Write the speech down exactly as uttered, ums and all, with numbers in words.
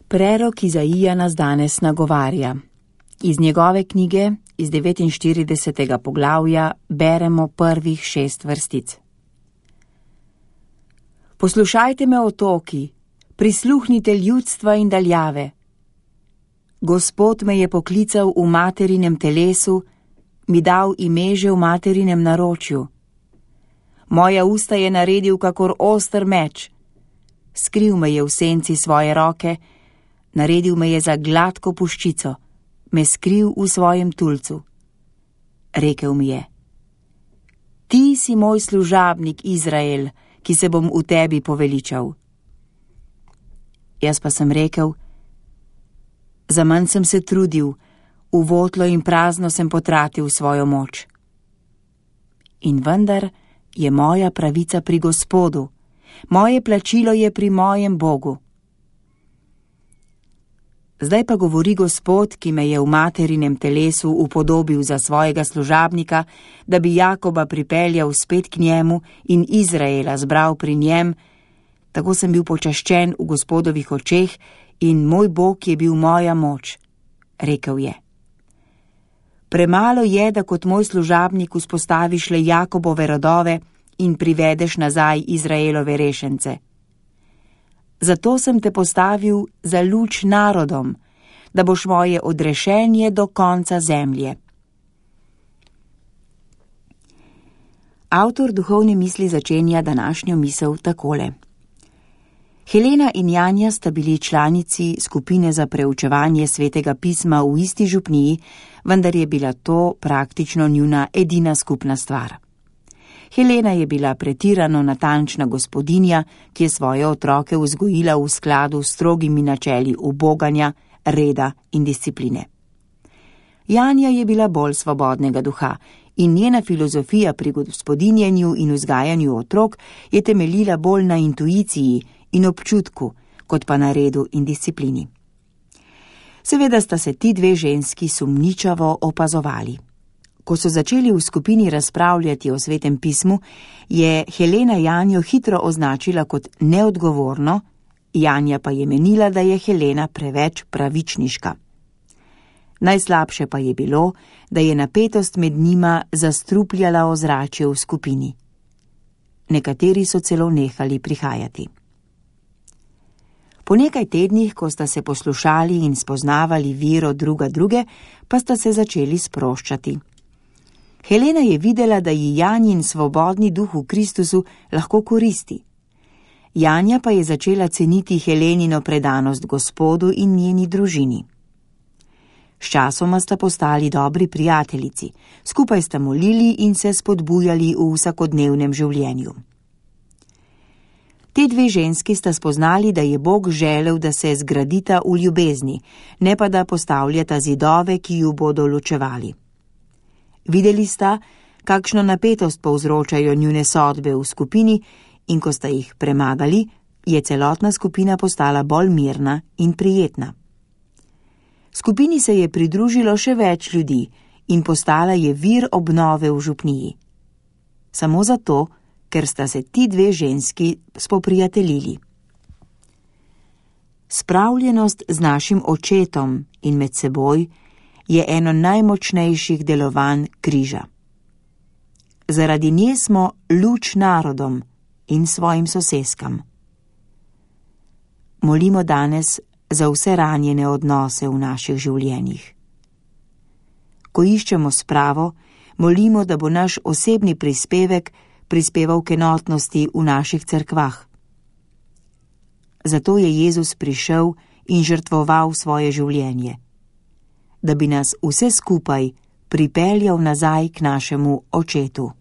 Prerok Izaija nas danes nagovarja. Iz njegove knjige, iz devetinštiridesetega poglavja, beremo prvih šest vrstic. Poslušajte me, otoki, prisluhnite ljudstva in daljave. Gospod me je poklical v materinem telesu, mi dal ime že v materinem naročju. Moja usta je naredil kakor oster meč. Skril me je v senci svoje roke, naredil me je za gladko puščico, me skril v svojem tulcu. Rekel mi je: Ti si moj služabnik, Izrael, ki se bom v tebi poveličal. Jaz pa sem rekel: Zaman sem se trudil, v votlo in prazno sem potratil svojo moč. In vendar je moja pravica pri Gospodu, moje plačilo je pri mojem Bogu. Zdaj pa govori Gospod, ki me je v materinem telesu upodobil za svojega služabnika, da bi Jakoba pripeljal spet k njemu in Izraela zbral pri njem. Tako sem bil počaščen v Gospodovih očeh in moj Bog je bil moja moč. Rekel je: Premalo je, da kot moj služabnik vzpostaviš le Jakobove rodove in privedeš nazaj Izraelove rešence. Zato sem te postavil za luč narodom, da boš moje odrešenje do konca zemlje. Avtor duhovne misli začenja današnjo misel takole. Helena in Janja sta bili članici skupine za preučevanje svetega pisma v isti župniji, vendar je bila to praktično njuna edina skupna stvar. Helena je bila pretirano natančna gospodinja, ki je svoje otroke vzgojila v skladu s strogimi načeli uboganja, reda in discipline. Janja je bila bolj svobodnega duha in njena filozofija pri gospodinjenju in vzgajanju otrok je temeljila bolj na intuiciji in občutku, kot pa na redu in disciplini. Seveda sta se ti dve ženski sumničavo opazovali. Ko so začeli v skupini razpravljati o svetem pismu, je Helena Janjo hitro označila kot neodgovorno, Janja pa je menila, da je Helena preveč pravičniška. Najslabše pa je bilo, da je napetost med njima zastrupljala ozračje v skupini. Nekateri so celo nehali prihajati. Po nekaj tednih, ko sta se poslušali in spoznavali vero druga druge, pa sta se začeli sproščati. Helena je videla, da ji Janjin svobodni duh v Kristusu lahko koristi. Janja pa je začela ceniti Helenino predanost Gospodu in njeni družini. Sčasoma sta postali dobri prijateljici, skupaj sta molili in se spodbujali v vsakodnevnem življenju. Te dve ženski sta spoznali, da je Bog želel, da se zgradita v ljubezni, ne pa da postavljata zidove, ki ju bodo ločevali. Videli sta, kakšno napetost povzročajo njune sodbe v skupini, in ko sta jih premagali, je celotna skupina postala bolj mirna in prijetna. Skupini se je pridružilo še več ljudi in postala je vir obnove v župniji. Samo zato, ker sta se ti dve ženski spoprijateljili. Spravljenost z našim očetom in med seboj je eno najmočnejših delovanj križa. Zaradi nje smo luč narodom in svojim soseskam. Molimo danes za vse ranjene odnose v naših življenjih. Ko iščemo spravo, molimo, da bo naš osebni prispevek prispeval k enotnosti v naših cerkvah. Zato je Jezus prišel in žrtvoval svoje življenje, da bi nas vse skupaj pripeljal nazaj k našemu očetu.